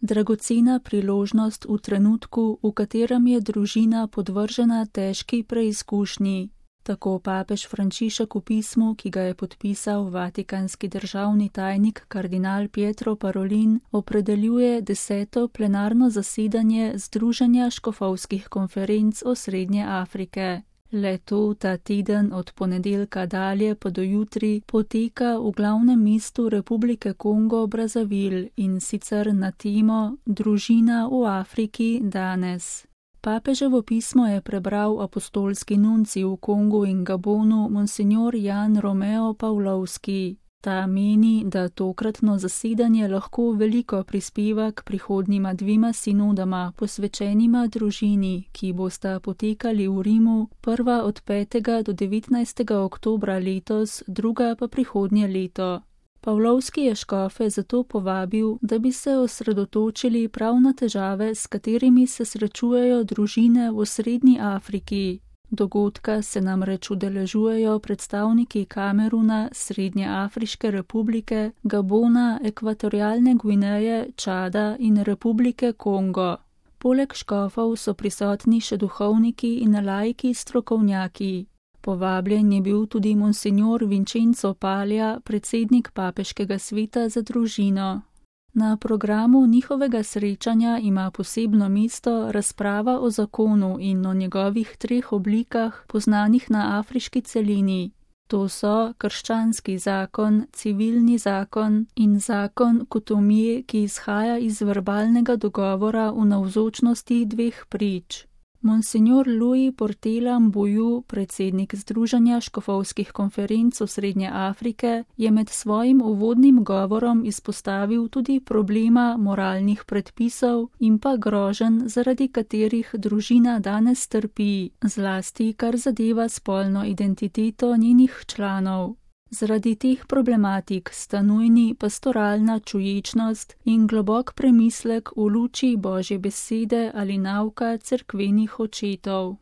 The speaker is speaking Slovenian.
Dragocena priložnost v trenutku, v katerem je družina podvržena težki preizkušnji. Tako papež Frančišek v pismu, ki ga je podpisal vatikanski državni tajnik kardinal Pietro Parolin, opredeljuje 10. plenarno zasedanje Združenja škofovskih konferenc Osrednje Afrike. Le-to ta teden od ponedeljka dalje pa do jutri poteka v glavnem mestu Republike Kongo Brazzaville in sicer na temo Družina v Afriki danes. Papeževo pismo je prebral apostolski nuncij v Kongu in Gabonu monsignor Jan Romeo Pavlovski. Ta meni, da tokratno zasedanje lahko veliko prispeva k prihodnjima dvima sinodama posvečenima družini, ki bosta potekali v Rimu, prva od 5. do 19. oktobra letos, druga pa prihodnje leto. Pavlovski je škofe zato povabil, da bi se osredotočili prav na težave, s katerimi se srečujejo družine v Srednji Afriki. Dogodka se namreč udeležujejo predstavniki Kameruna, Srednje Afriške republike, Gabona, Ekvatorialne Gvineje, Čada in Republike Kongo. Poleg škofov so prisotni še duhovniki in laiki strokovnjaki. Povabljen je bil tudi monsignor Vincenzo Palja, predsednik papeškega sveta za družino. Na programu njihovega srečanja ima posebno mesto razprava o zakonu in o njegovih 3 oblikah, poznanih na afriški celini. To so krščanski zakon, civilni zakon in zakon kutomije, ki izhaja iz verbalnega dogovora v navzočnosti 2 prič. Monsignor Louis Portela Mbuyu, predsednik Združenja škofovskih konferenc Osrednje Afrike, je med svojim uvodnim govorom izpostavil tudi problema moralnih predpisov in pa groženj, zaradi katerih družina danes trpi, zlasti kar zadeva spolno identiteto njenih članov. Zaradi teh problematik sta nujni pastoralna čuječnost in globok premislek v luči Božje besede ali nauka cerkvenih očetov.